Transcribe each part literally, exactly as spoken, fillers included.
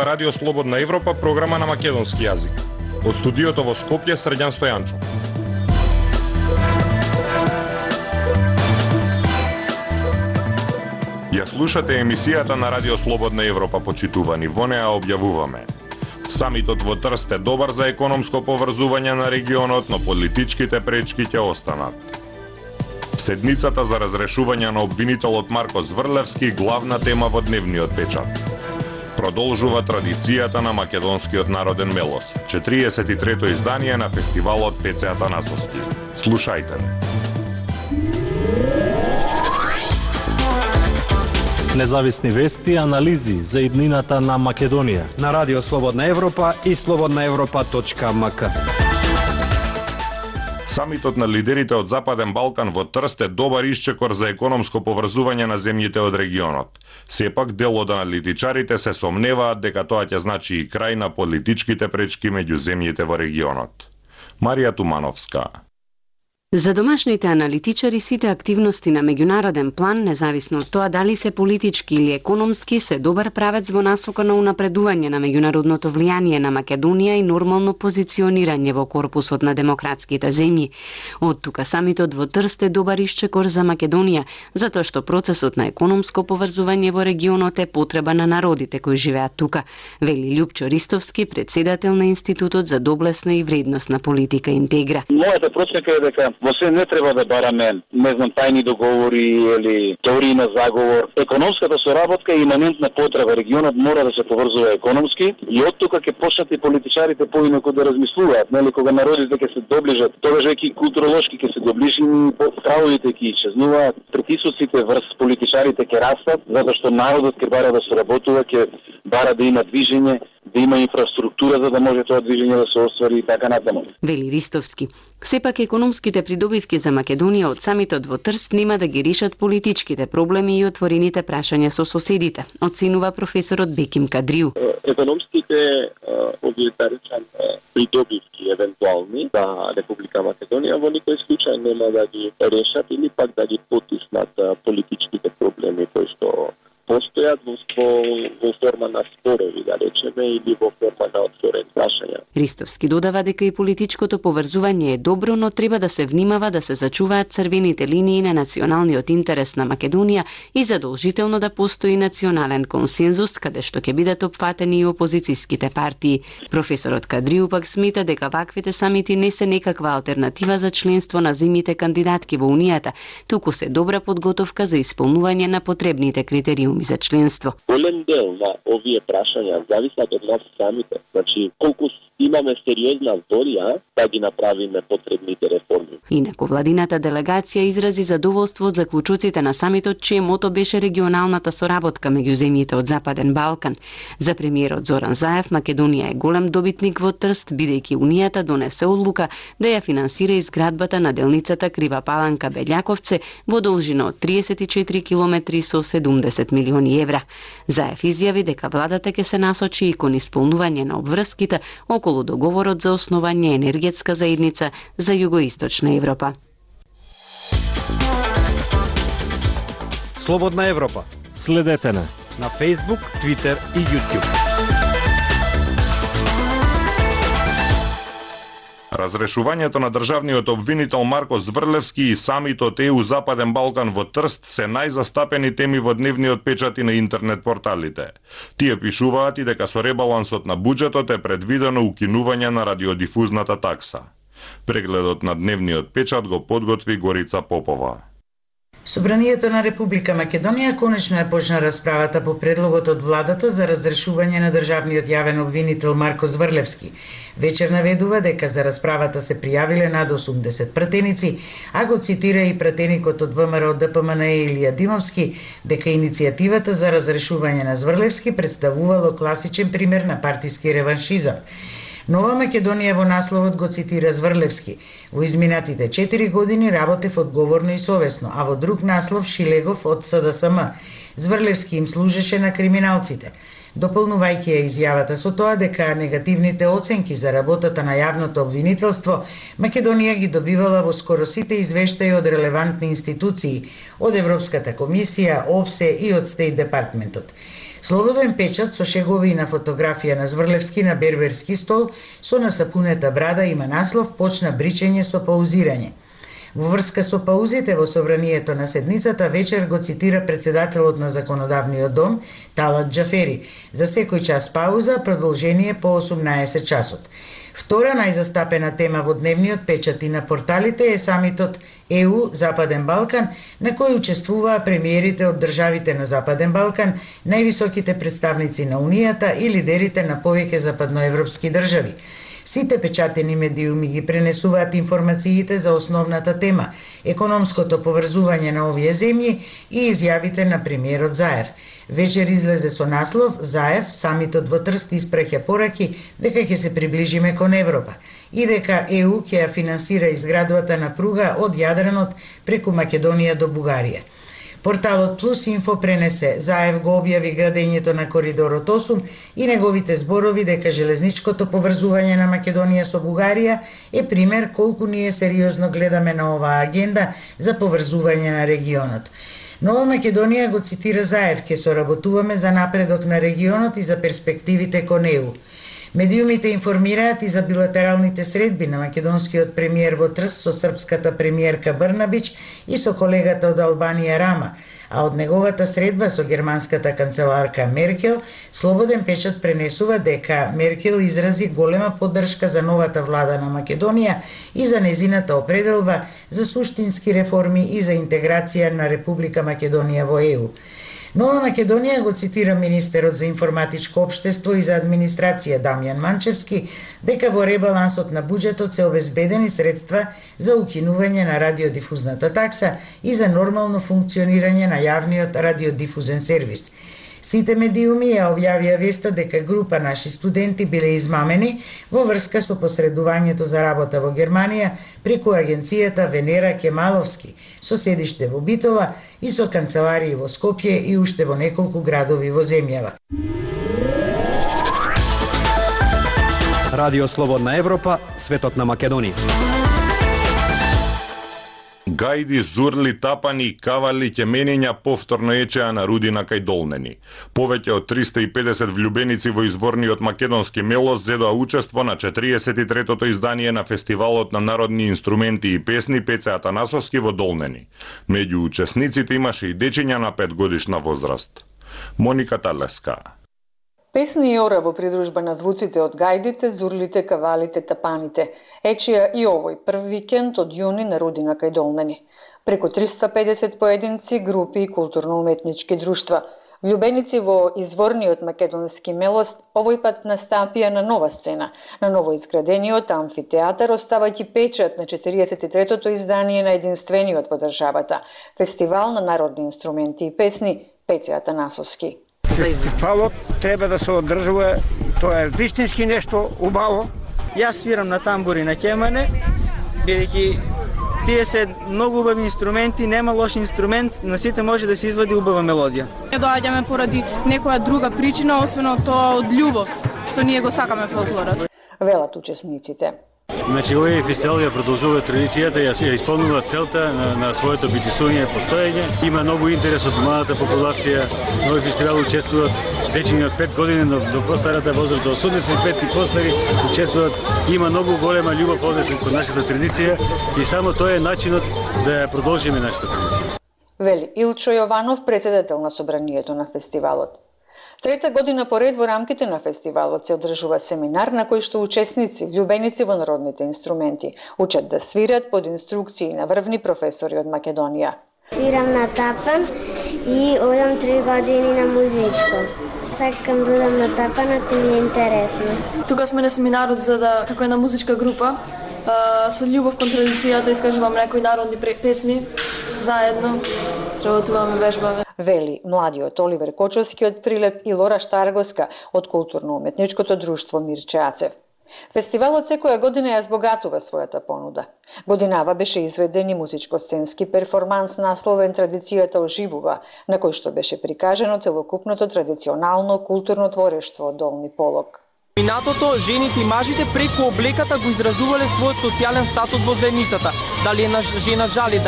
ова Радио Слободна Европа, програма на македонски јазик. Од студиото во Скопје, Срđan Стојанчо. Ја слушате емисијата на Радио Слободна Европа, почитувани. Во неа објавуваме: самитот во Трст е добар за економско поврзување на регионот, но политичките пречки ќе останат. Седницата за разрешување на обвинителот Марко Зврлевски, главна тема во дневниот печат. Продолжува традицијата на македонскиот народен мелос, четириесет и трето издание на фестивалот Пеце Атанасовски. Слушајте. Независни вести и анализи за иднината на Македонија на Радио Слободна Европа и слободна европа точка ем ка. Самитот на лидерите од Западен Балкан во Трст е добар исчекор за економско поврзување на земјите од регионот. Сепак, дел од аналитичарите се сомневаат дека тоа ќе значи и крај на политичките пречки меѓу земјите во регионот. Марија Тумановска. За домашните аналитичари сите активности на меѓународен план, независно од тоа дали се политички или економски, се добар правец во насока на унапредување на меѓународното влијание на Македонија и нормално позиционирање во корпусот на демократските земји. Од тука самитот во Трст е добар исчекор за Македонија, затоа што процесот на економско поврзување во регионот е потреба на народите кои живеат тука, вели Љупчо Ристовски, председател на Институтот за доблесна и вредносна политика Интегра. Мојата проценка е дека во се не треба да бараме, не знам, тајни договори или теории на заговор. Економската соработка е иманентна потреба. Регионот мора да се поврзува економски и од тука ќе почнат и политичарите поинаку да размислуваат, нели, кога народите ќе се доближат, тогаш веќе културолошки ќе се доближени, стравовите ќе исчезнуваат, притисоците врз политичарите ќе растат, затоа што народот ќе бара да се работува, ќе бара да има движење, да има инфраструктура за да може тоа движење да се оствари и така натаму. Вели Ристовски. Сепак економските придобивки за Македонија од самитот во Трст нема да ги решат политичките проблеми и отворените прашања со соседите, оценува професорот Беким Кадриу. Економските овие да речам придобивки евентуални за Република Македонија во никој случај нема да ги решат или пак да ги потиснат политичките проблеми кои што постојат во, во форма на спорови, да речеме, или во форма на отворени прашања. Ристовски додава дека и политичкото поврзување е добро, но треба да се внимава да се зачуваат црвените линии на националниот интерес на Македонија и задолжително да постои национален консензус, каде што ќе бидат опфатени и опозицијските партии. Професорот Кадриу пак смета дека ваквите самити не се некаква алтернатива за членство на земјите кандидатки во Унијата, туку се добра подготовка за исполнување на потребните критериуми за членство. Голем дел на овие прашања зависат од нас самите. Значи, колку имаме сериозна волја да ги направиме потребните реформи. Инаку владината делегација изрази задоволство од заклучоците на самитот, чие мото беше регионалната соработка меѓу земјите од Западен Балкан. За премиерот Зоран Заев, Македонија е голем добитник во Трст, бидејќи Унијата донесе одлука да ја финансира изградбата на делницата Крива Паланка Белјаковце во должина од триесет и четири километри со седумдесет милиони евра. Заев изјави дека владата ќе се насочи и кон исполнување на обврските околу договорот за основање енергетска заедница за југоисточна Европа. Слободна Европа. Следете на на Facebook, Twitter и YouTube. Разрешувањето на државниот обвинител Марко Зврлевски и самитот Е У Западен Балкан во Трст се најзастапени теми во дневниот печат и на интернет порталите. Тие пишуваат и дека со ребалансот на буџетот е предвидено укинување на радиодифузната такса. Прегледот на дневниот печат го подготви Горица Попова. Собранието на Република Македонија конечно е почна расправата по предлогот од владата за разрешување на државниот јавен обвинител Марко Зврлевски. Вечер наведува дека за расправата се пријавиле над осумдесет пратеници, а го цитира и пратеникот од ВМРО Д П М Н Илија Димовски дека иницијативата за разрешување на Зврлевски представувало класичен пример на партиски реваншизам. Нова Македонија во насловот го цитира Зврлевски. Во изминатите четири години работев одговорно и совесно, а во друг наслов Шилегов од С Д С М. Зврлевски им служеше на криминалците. Дополнувајќи ја изјавата со тоа дека негативните оценки за работата на јавното обвинителство, Македонија ги добивала во скоро сите извештаи од релевантни институции, од Европската комисија, ОВСЕ и од Стейт департментот. Слободен печат со шегови на фотографија на Зврлевски на берберски стол со насапунета брада има наслов "Почна бричење со паузирање". Во врска со паузите во собранието на седницата вечер го цитира председателот на Законодавниот дом Талат Џафери. За секој час пауза, продолжение по осумнаесет часот. Втора најзастапена тема во дневниот печат и на порталите е самитот Е У Западен Балкан, на кој учествуваа премиерите од државите на Западен Балкан, највисоките представници на Унијата и лидерите на повеќе западноевропски држави. Сите печатени медиуми ги пренесуваат информациите за основната тема, економското поврзување на овие земји и изјавите на премиерот Заев. Вечер излезе со наслов "Заев, самитот во Трст испреќа пораки дека ќе се приближиме кон Европа и дека Е У ќе ја финансира изградбата на пруга од Јадранот преку Македонија до Бугарија. Порталот Плюс Инфо пренесе Заев го објави градењето на коридорот осум и неговите зборови дека железничкото поврзување на Македонија со Бугарија е пример колку ние сериозно гледаме на оваа агенда за поврзување на регионот. Нова Македонија го цитира Заев: "Ке соработуваме за напредок на регионот и за перспективите кон Е У". Медиумите информираат и за билатералните средби на македонскиот премиер во Трст со српската премиерка Брнабич и со колегата од Албанија Рама, а од неговата средба со германската канцеларка Меркел, Слободен печат пренесува дека Меркел изрази голема поддршка за новата влада на Македонија и за незината определба за суштински реформи и за интеграција на Република Македонија во Е У. Нова Македонија го цитира министерот за информатичко општество и за администрација Дамјан Манчевски дека во ребалансот на буџетот се обезбедени средства за укинување на радиодифузната такса и за нормално функционирање на јавниот радиодифузен сервис. Сите медиуми ја објавија веста дека група наши студенти биле измамени во врска со посредувањето за работа во Германија преку агенцијата Венера Кемаловски, со седиште во Битола и со канцеларии во Скопје и уште во неколку градови во земјава. Радио Слободна Европа, светот на Македонија. Гајди, зурли, тапани, кавали, ќеменења повторно ечеа на Рудина кај Долнени. Повеќе од триста и педесет влюбеници во изворниот македонски мелос зедоа учество на четириесет и третото издание на Фестивалот на народни инструменти и песни Пеце Атанасовски во Долнени. Меѓу учесниците имаше и дечиња на петгодишна возраст. Моника Талеска. Песни и ора во придружба на звуците од гајдите, зурлите, кавалите, тапаните. Ечија и овој прв викенд од јуни на Рудина кај Долнени. Преку триста и педесет поединци, групи и културно-уметнички друштва. Влюбеници во изворниот македонски мелост овој пат настапија на нова сцена, на ново изградениот амфитеатар, оставајќи печат на четириесет и третото издание на единствениот во државата Фестивал на народни инструменти и песни Пеце Атанасовски. Фестивалот треба да се одржува, тоа е вистински нешто убаво. Јас свирам на тамбур и на кемане, бидејќи тие се многу убави инструменти, нема лош инструмент, на сите може да се извади убава мелодија. Не доаѓаме поради некоја друга причина, освен тоа од љубов, што ние го сакаме фолклорот. Велат учесниците. Значи, овој фестивал ја продолжува традицијата, ја ја исполнува целта на, на своето битисување и постоење. Има многу интерес од младата популација. На овој фестивал учествуваат дечиња од пет години до, до постарата возраст, до осумдесет и пет и постари учествуваат. Има многу голема љубов однесен кон нашата традиција и само тоа е начинот да ја продолжиме нашата традиција. Вели Илчо Јованов, председател на собранието на фестивалот. Трета година поред во рамките на фестивалот се одржува семинар на кој што учесници, влюбеници во народните инструменти, учат да свират под инструкции на врвни професори од Македонија. Свирам на тапан и одам три години на музичко. Сакам да одам на тапанот и ми е интересно. Тука сме на семинарот за да, како една музичка група, со љубов кон традицијата искажувам некои народни песни, заедно сработуваме, вежбаме. Вели младиот Оливер Кочовски од Прилеп и Лора Штаргоска од културно-уметничкото друштво Мирче Ацев. Фестивалот секоја година ја збогатува својата понуда. Годинава беше изведен и музичко-сценски перформанс насловен Традицијата оживува, на кој што беше прикажано целокупното традиционално културно творештво од Долни Полог. Минатото, жените и мажите преку облеката го изразувале својот социјален статус во заедницата. Дали една жена жали,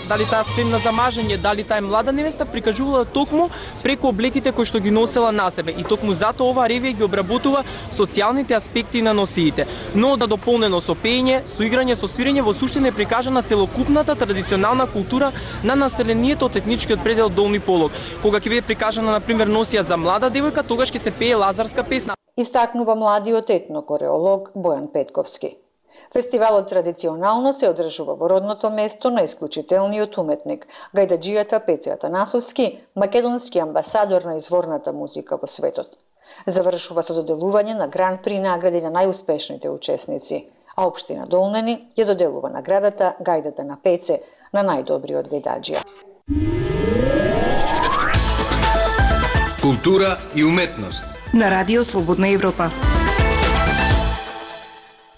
дали таа спремна за мажење, дали таа е млада невеста, прикажувала токму преку облеките кои што ги носела на себе. И токму затоа оваа ревија ги обработува социјалните аспекти на носиите. Но да дополнено со пеење, со играње, со свирење, во суштина е прикажана целокупната традиционална култура на населението од етничкиот предел Долни Полог. Кога ќе биде прикажана на пример носија за млада девојка, тогаш ќе се пее лазарска песна. Истакнува младиот етнокореолог Бојан Петковски. Фестивалот традиционално се одржува во родното место на исклучителниот уметник, гајдаџијата Пеце Атанасовски, македонски амбасадор на изворната музика во светот. Завршува со доделување на гран при награди на најуспешните учесници, а општина Долнени ја доделува наградата Гајдата на Пеце на најдобриот гајдаџија. Култура и уметност на Радио Слободна Европа.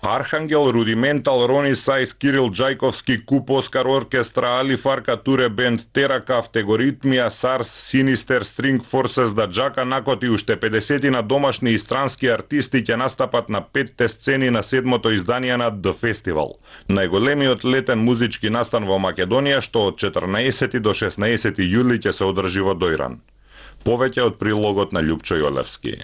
Архангел, Рудиментал, Рони Сайс, Кирил Джајковски, Куп Оскар оркестра, Али Фарка Туре бенд, Теракав, Тегоритмија, Сарс, Синистер, Стринг Форсес, да Джака Накот и уште педесетина домашни и странски артисти ќе настапат на петте сцени на седмото издание на The Festival, најголемиот летен музички настан во Македонија, што од четрнаесети до шеснаесети јули ќе се одржи во Дојран. Повеќе од прилогот на Љупчо Јолевски.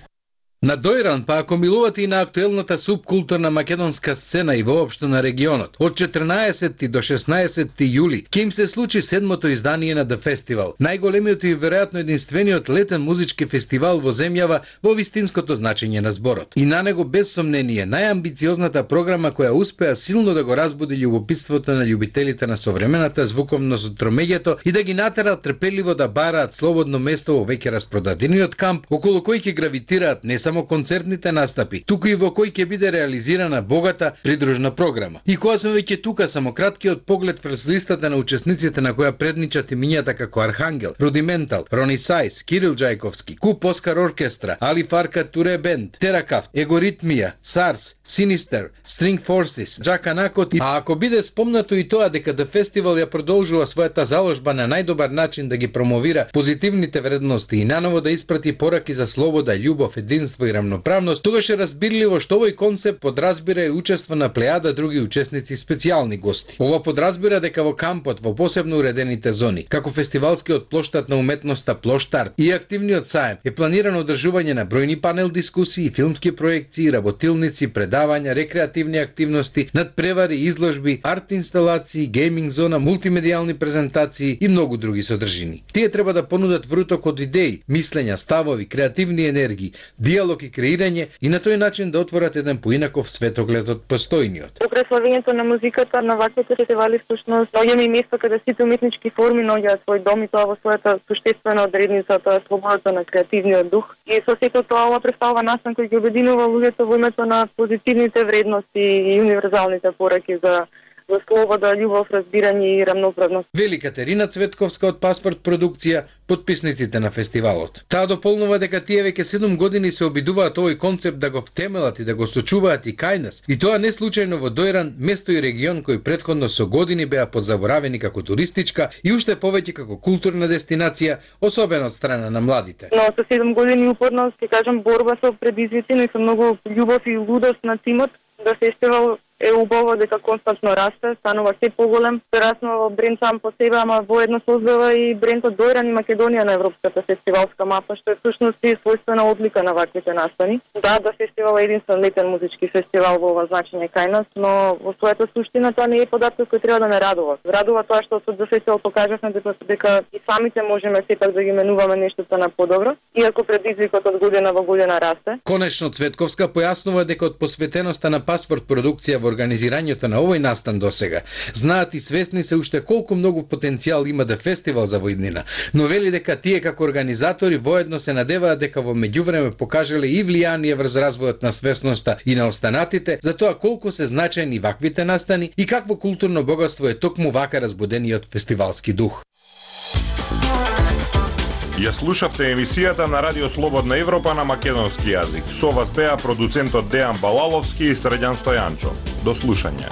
На Дојран па ако милувате и на актуелната субкултурна македонска сцена и воопшто на регионот, од четрнаесети до шеснаесети јули ќе им се случи седмото издание на The Festival, најголемиот и веројатно единствениот летен музички фестивал во земјава во вистинското значење на зборот. И на него без сомнение најамбициозната програма која успеа силно да го разбуди љубопитството на љубителите на современата звуковност од тромеѓето и да ги натера трпеливо да бараат слободно место во веќе распродадениот камп, околу кој ќе гравитираат не само концертните настапи, туку и во кој ќе биде реализирана богата придружна програма. И кога сме веќе тука, само краткиот поглед врз листата на учесниците на која предничат имињата како Архангел, Рудиментал, Рони Сайс, Кирил Джајковски, Куп Оскар оркестра, Али Фарка Туре бенд, Теракав, Егоритмија, Сарс, Синистер, Стринг Форсес, Джака Накот. А ако биде спомнато и тоа дека The Festival ја продолжува својата заложба на најдобар начин да ги промовира позитивните вредности и наново да испрати пораки за слобода, љубов, единство и рамноправност, тогаш е разбирливо што овој концепт подразбира и учество на плејада други учесници и специјални гости. Ова подразбира дека во кампот, во посебно уредените зони, како фестивалскиот плоштад на уметноста Плоштарт и активниот саем, е планирано одржување на бројни панел дискусии, филмски проекции, работилници, предавања, рекреативни активности, надпревари, изложби, арт инсталации, гейминг зона, мултимедијални презентации и многу други содржини. Тие треба да понудат вруток од идеи, мислења, ставови, креативни енергии, диалог и креирање и на тој начин да отворат еден поинаков светоглед од постојниот. Покрај славењето на музиката на ваквите фестивали всушност доаѓаме и место каде сите уметнички форми наоѓаат свој дом и тоа во својата суштествена одредница, тоа е слободата на креативниот дух. И со сето тоа ова представува настан кој ги обединува луѓето во името на позитивните вредности и универзалните пораки за за слобода, љубов, разбирање и рамноправност. Вели Катерина Цветковска од Паспорт продукција, потписниците на фестивалот. Таа дополнува дека тие веќе седум години се обидуваат овој концепт да го втемелат и да го сочуваат и кај нас. И тоа не случајно во Дојран, место и регион кој претходно со години беа подзаборавени како туристичка и уште повеќе како културна дестинација, особено од страна на младите. Но со седум години упорно, ќе кажам, борба со предизвици, но и со многу љубов и лудост на тимот, да фестивал е убаво дека константно расте, станува се поголем, прераснува во бренд сам по себе, ама воедно создава и брендот Дојран и Македонија на европската фестивалска мапа, што е всушност и својствена одлика на ваквите настани. Да, да фестивал е единствен летен музички фестивал во ова значење кај нас, но во својата суштина тоа не е податок кој треба да ме радува. Радува тоа што со фестивал покажавме дека, дека и самите можеме сепак да ги менуваме нештото на подобро, иако предизвикот од година во година расте. Конечно Цветковска појаснува дека од посветеноста на Паспорт продукција во организирањето на овој настан досега знаат и свесни се уште колку многу потенцијал има да фестивал за во иднина, но вели дека тие како организатори воедно се надеваат дека во меѓувреме покажале и влијание врз развојот на свесноста и на останатите за тоа колку се значајни ваквите настани и какво културно богатство е токму вака разбудениот фестивалски дух. Ја слушавте емисијата на Радио Слободна Европа на македонски јазик. Со вас беа продуцентот Дејан Балаловски и Средјан Стојанчо. До слушање.